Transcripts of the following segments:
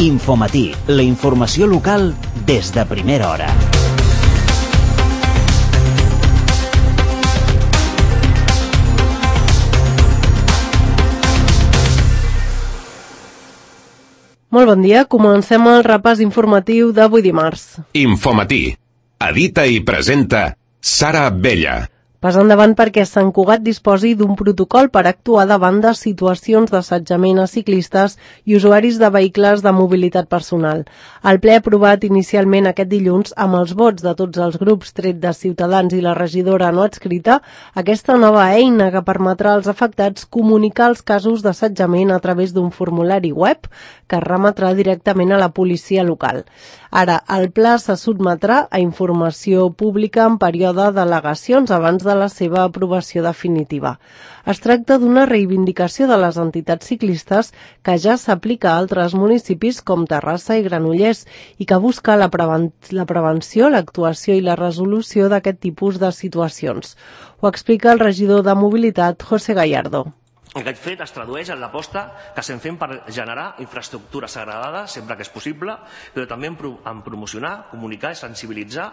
Infomatí, la informació local des de primera hora. Molt bon dia, comencem el repàs informatiu d'avui dimarts. Infomatí. Edita i presenta Sara Abella. Pas endavant perquè Sant Cugat disposi d'un protocol per actuar davant de situacions d'assetjament a ciclistes i usuaris de vehicles de mobilitat personal. El ple aprovat inicialment aquest dilluns amb els vots de tots els grups tret de Ciutadans i la regidora no adscrita, aquesta nova eina que permetrà als afectats comunicar els casos d'assetjament a través d'un formulari web que es remetrà directament a la policia local. Ara, el pla se sotmetrà a informació pública en període d'al·legacions abans de la seva aprovació definitiva. Es tracta d'una reivindicació de les entitats ciclistes que ja s'aplica a altres municipis com Terrassa i Granollers i que busca la prevenció, l'actuació i la resolució d'aquest tipus de situacions. Ho explica el regidor de Mobilitat, José Gallardo. Aquest fet es tradueix en l'aposta que estem fent per generar infraestructura segregada sempre que és possible, però també en promocionar, comunicar i sensibilitzar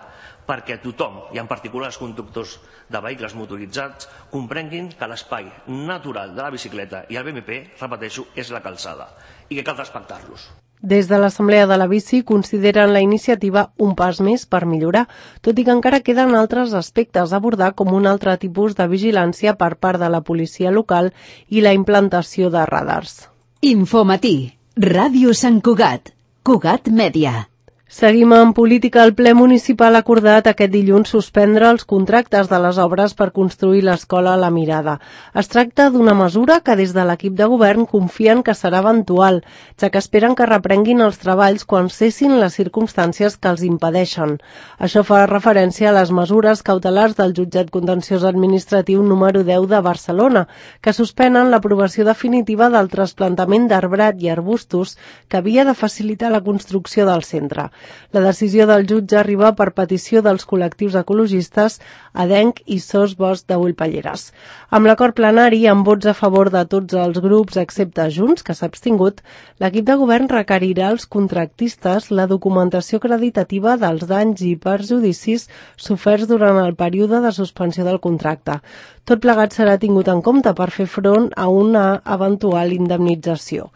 perquè tothom, i en particular els conductors de vehicles motoritzats, comprenguin que l'espai natural de la bicicleta i el BMP, repeteixo, és la calçada i que cal respectar-los. Des de l'Assemblea de la Bici consideren la iniciativa un pas més per millorar, tot i que encara queden altres aspectes a abordar com un altre tipus de vigilància per part de la policia local i la implantació de radars. Infomatí, Ràdio Sant Cugat, Cugat Mèdia. Seguim en política. El ple municipal ha acordat aquest dilluns suspendre els contractes de les obres per construir l'escola La Mirada. Es tracta d'una mesura que des de l'equip de govern confien que serà eventual, ja que esperen que reprenguin els treballs quan cessin les circumstàncies que els impedeixen. Això fa referència a les mesures cautelars del jutjat contenciós administratiu número 10 de Barcelona, que suspenen l'aprovació definitiva del trasplantament d'arbrat i arbustos que havia de facilitar la construcció del centre. La decisió del jutge arriba per petició dels col·lectius ecologistes Adenc i Sos Bosc de Ullpalleres. Amb l'acord plenari, amb vots a favor de tots els grups excepte Junts, que s'ha abstingut, l'equip de govern requerirà als contractistes la documentació acreditativa dels danys i perjudicis soferts durant el període de suspensió del contracte. Tot plegat serà tingut en compte per fer front a una eventual indemnització.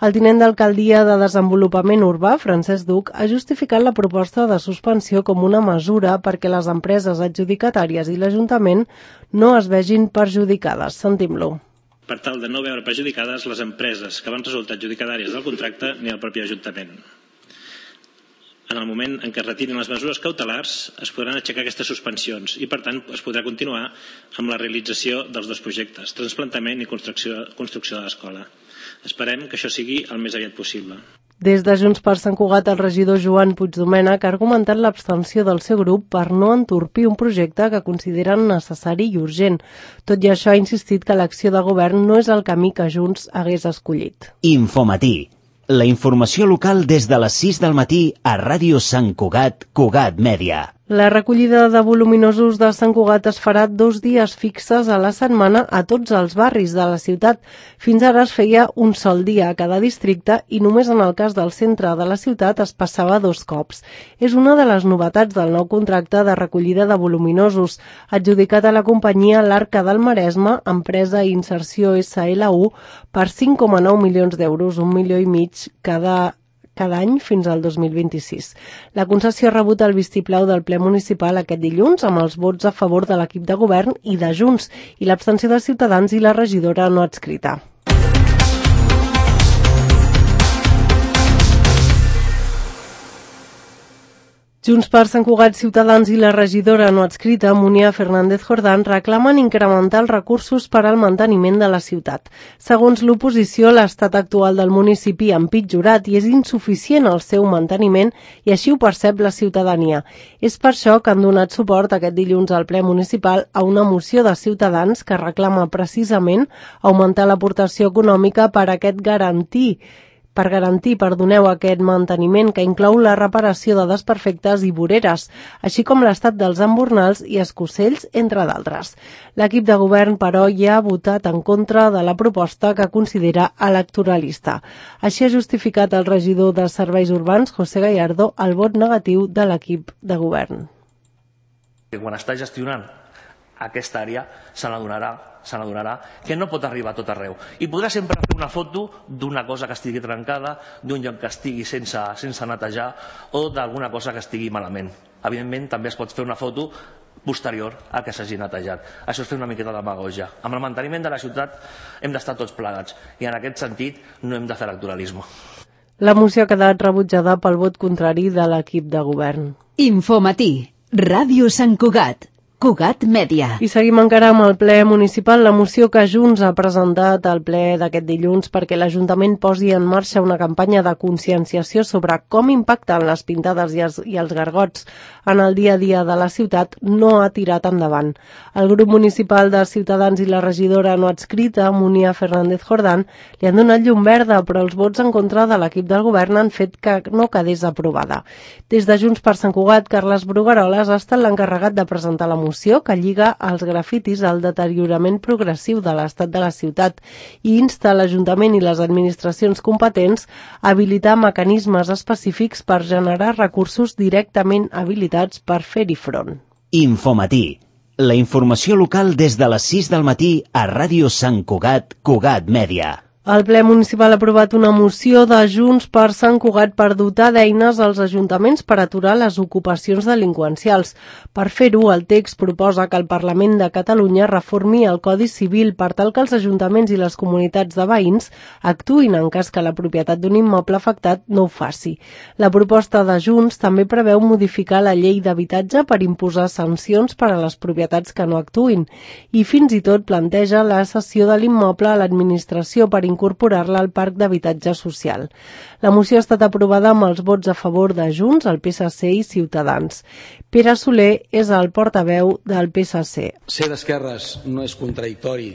El tinent d'alcaldia de Desenvolupament Urbà, Francesc Duc, ha justificat la proposta de suspensió com una mesura perquè les empreses adjudicatàries i l'Ajuntament no es vegin perjudicades. Sentim-lo. Per tal de no veure perjudicades les empreses que van resultar adjudicatàries del contracte ni el propi Ajuntament. En el moment en què es retirin les mesures cautelars es podran aixecar aquestes suspensions i, per tant, es podrà continuar amb la realització dels dos projectes, trasplantament i construcció de l'escola. Esperem que això sigui el més aviat possible. Des de Junts per Sant Cugat, el regidor Joan Puigdomènech ha argumentat l'abstenció del seu grup per no entorpir un projecte que consideren necessari i urgent. Tot i això, ha insistit que l'acció de govern no és el camí que Junts hagués escollit. Infomatí. La informació local des de les 6 del matí a Ràdio Sant Cugat, Cugat Mèdia. La recollida de voluminosos de Sant Cugat es farà 2 dies fixes a la setmana a tots els barris de la ciutat. Fins ara es feia un sol dia a cada districte i només en el cas del centre de la ciutat es passava 2 cops. És una de les novetats del nou contracte de recollida de voluminosos, adjudicat a la companyia L'Arca del Maresme, empresa i inserció SLU, per 5,9 milions d'euros, 1,5 milions cada any fins al 2026. La concessió ha rebut el vistiplau del ple municipal aquest dilluns amb els vots a favor de l'equip de govern i de Junts i l'abstenció de Ciutadans i la regidora no adscrita. Junts per Sant Cugat, Ciutadans i la regidora no adscrita, Munia Fernández Jordán, reclamen incrementar els recursos per al manteniment de la ciutat. Segons l'oposició, l'estat actual del municipi ha empitjorat i és insuficient el seu manteniment i així ho percep la ciutadania. És per això que han donat suport aquest dilluns al ple municipal a una moció de Ciutadans que reclama precisament augmentar l'aportació econòmica per Per garantir, perdoneu, aquest manteniment que inclou la reparació de desperfectes i voreres, així com l'estat dels embornals i escossells, entre d'altres. L'equip de govern, però, ja ha votat en contra de la proposta que considera electoralista. Així ha justificat el regidor de Serveis Urbans, José Gallardo, el vot negatiu de l'equip de govern. Quan està gestionant aquesta àrea se n'adonarà que no pot arribar a tot arreu. I podrà sempre fer una foto d'una cosa que estigui trencada, d'un lloc que estigui sense netejar o d'alguna cosa que estigui malament. Evidentment, també es pot fer una foto posterior a que s'hagi netejat. Això és fer una miqueta de demagogia. Amb el manteniment de la ciutat hem d'estar tots plegats i en aquest sentit no hem de fer electoralisme. La moció ha quedat rebutjada pel vot contrari de l'equip de govern. Infomatí, Ràdio Sant Cugat, Cugat Mèdia. I seguim encara amb el ple municipal, la moció que Junts ha presentat al ple d'aquest dilluns perquè l'Ajuntament posi en marxa una campanya de conscienciació sobre com impacten les pintades i els gargots en el dia a dia de la ciutat no ha tirat endavant. El grup municipal de Ciutadans i la regidora no adscrita, Munia Fernández Jordán, li han donat llum verda, però els vots en contra de l'equip del govern han fet que no quedés aprovada. Des de Junts per Sant Cugat, Carles Brugueroles ha estat l'encarregat de presentar la moció que lliga els grafitis al deteriorament progressiu de l'estat de la ciutat i insta l'Ajuntament i les administracions competents a habilitar mecanismes específics per generar recursos directament habilitats per fer-hi front. Infomatí. La informació local des de les 6 del matí a Ràdio Sant Cugat, Cugat Mèdia. El ple municipal ha aprovat una moció de Junts per Sant Cugat per dotar d'eines als ajuntaments per aturar les ocupacions delinqüencials. Per fer-ho, el text proposa que el Parlament de Catalunya reformi el Codi Civil per tal que els ajuntaments i les comunitats de veïns actuïn en cas que la propietat d'un immoble afectat no ho faci. La proposta de Junts també preveu modificar la llei d'habitatge per imposar sancions per a les propietats que no actuïn i fins i tot planteja la cessió de l'immoble a l'administració per incorporar-la al parc d'habitatge social. La moció ha estat aprovada amb els vots a favor de Junts, el PSC i Ciutadans. Pere Soler és el portaveu del PSC. Ser d'esquerres no és contradictori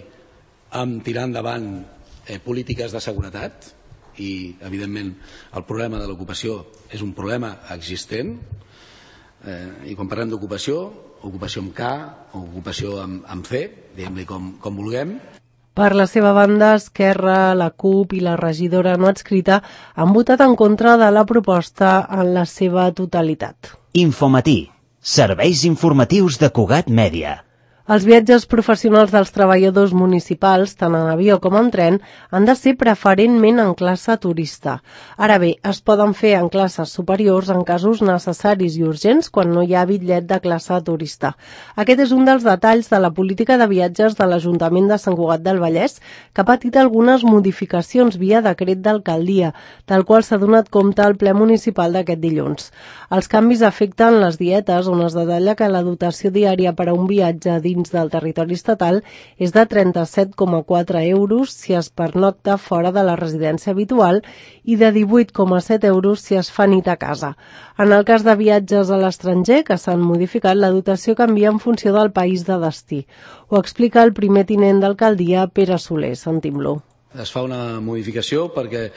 amb tirar endavant polítiques de seguretat i, evidentment, el problema de l'ocupació és un problema existent i quan parlem d'ocupació, ocupació amb K o ocupació amb C, diguem-li com vulguem. Per la seva banda, Esquerra, la CUP i la regidora no adscrita han votat en contra de la proposta en la seva totalitat. Infomatí. Serveis informatius de Cugat Mèdia. Els viatges professionals dels treballadors municipals, tant en avió com en tren, han de ser preferentment en classe turista. Ara bé, es poden fer en classes superiors en casos necessaris i urgents quan no hi ha bitllet de classe turista. Aquest és un dels detalls de la política de viatges de l'Ajuntament de Sant Cugat del Vallès, que ha patit algunes modificacions via decret d'alcaldia, tal qual s'ha donat compte al ple municipal d'aquest dilluns. Els canvis afecten les dietes, on es detalla que la dotació diària per a un viatge dins del territori estatal és de 37,4 euros si es pernocta fora de la residència habitual i de 18,7 euros si es fa nit a casa. En el cas de viatges a l'estranger que s'han modificat, la dotació canvia en funció del país de destí. Ho explica el primer tinent d'alcaldia, Pere Soler. Sentim-lo. Es fa una modificació perquè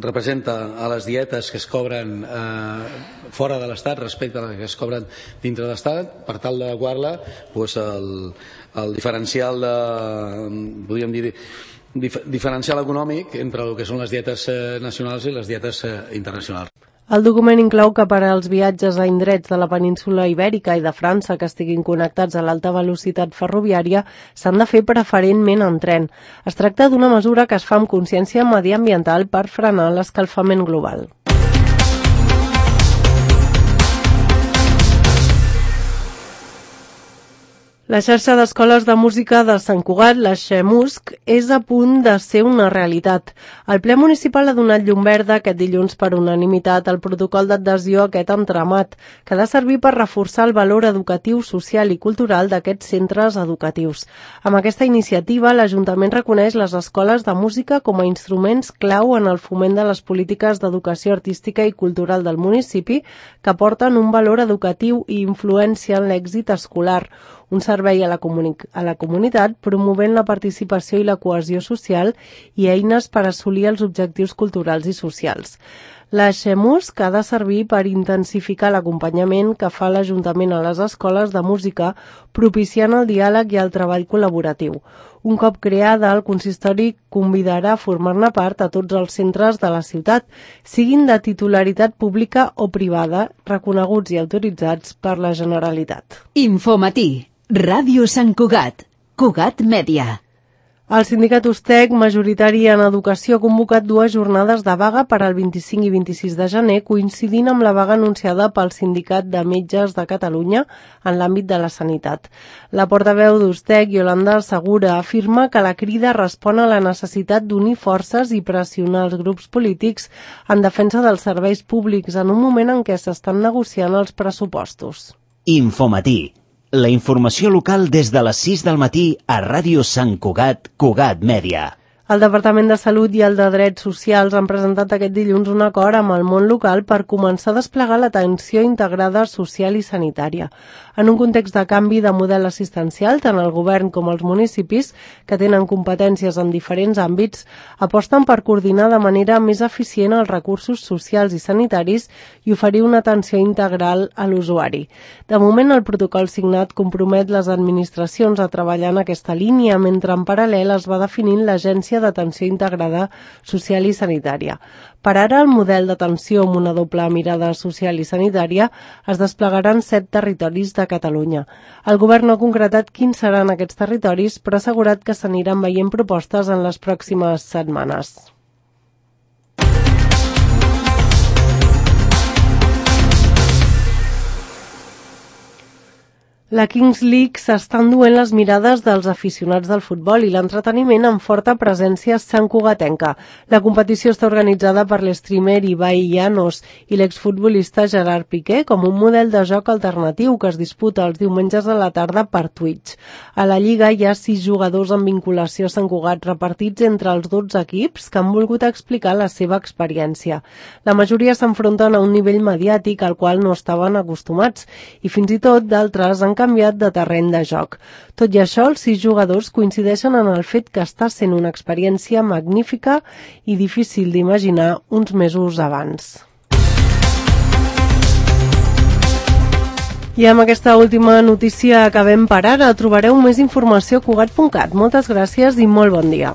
representa a les dietes que es cobren fora de l'Estat respecte a les que es cobren dintre de l'Estat, per tal d'adequar-la el diferencial podríem dir diferencial econòmic entre el que són les dietes nacionals i les dietes internacionals. El document inclou que per als viatges a indrets de la península Ibèrica i de França que estiguin connectats a l'alta velocitat ferroviària s'han de fer preferentment en tren. Es tracta d'una mesura que es fa amb consciència mediambiental per frenar l'escalfament global. La xarxa d'escoles de música de Sant Cugat, la XEMUSC, és a punt de ser una realitat. El ple municipal ha donat llum verda aquest dilluns per unanimitat al protocol d'adhesió a aquest entramat, que ha de servir per reforçar el valor educatiu, social i cultural d'aquests centres educatius. Amb aquesta iniciativa, l'Ajuntament reconeix les escoles de música com a instruments clau en el foment de les polítiques d'educació artística i cultural del municipi, que aporten un valor educatiu i influència en l'èxit escolar. un servei a la comunitat promovent la participació i la cohesió social i eines per assolir els objectius culturals i socials. La Xemus, que ha de servir per intensificar l'acompanyament que fa l'Ajuntament a les escoles de música, propiciant el diàleg i el treball col·laboratiu. Un cop creada, el consistori convidarà a formar-ne part a tots els centres de la ciutat, siguin de titularitat pública o privada, reconeguts i autoritzats per la Generalitat. Infomatí, Ràdio Sant Cugat, Cugat Mèdia. El sindicat USTEC, majoritari en educació, ha convocat 2 jornades de vaga per al 25 i 26 de gener, coincidint amb la vaga anunciada pel Sindicat de Metges de Catalunya en l'àmbit de la sanitat. La portaveu d'USTEC, Yolanda Segura, afirma que la crida respon a la necessitat d'unir forces i pressionar els grups polítics en defensa dels serveis públics en un moment en què s'estan negociant els pressupostos. Infomatí. La informació local des de les 6 del matí a Ràdio Sant Cugat, Cugat Mèdia. El Departament de Salut i el de Drets Socials han presentat aquest dilluns un acord amb el món local per començar a desplegar l'atenció integrada social i sanitària. En un context de canvi de model assistencial, tant el govern com els municipis, que tenen competències en diferents àmbits, aposten per coordinar de manera més eficient els recursos socials i sanitaris i oferir una atenció integral a l'usuari. De moment, el protocol signat compromet les administracions a treballar en aquesta línia, mentre en paral·lel es va definint l'Agència d'Atenció Integrada Social i Sanitària. Per ara, el model d'atenció amb una doble mirada social i sanitària es desplegarà en 7 territoris de Catalunya. El govern no ha concretat quins seran aquests territoris, però ha assegurat que s'aniran veient propostes en les pròximes setmanes. La Kings League s'està enduent les mirades dels aficionats del futbol i l'entreteniment amb forta presència santcugatenca. La competició està organitzada per l'streamer Ibai Llanos i l'exfutbolista Gerard Piqué com un model de joc alternatiu que es disputa els diumenges a la tarda per Twitch. A la Lliga hi ha 6 jugadors amb vinculació a Sant Cugat repartits entre els 12 equips que han volgut explicar la seva experiència. La majoria s'enfronten a un nivell mediàtic al qual no estaven acostumats i fins i tot d'altres han canviat de terreny de joc. Tot i això, els 6 jugadors coincideixen en el fet que està sent una experiència magnífica i difícil d'imaginar uns mesos abans. I amb aquesta última notícia acabem per ara. Trobareu més informació a cugat.cat. Moltes gràcies i molt bon dia.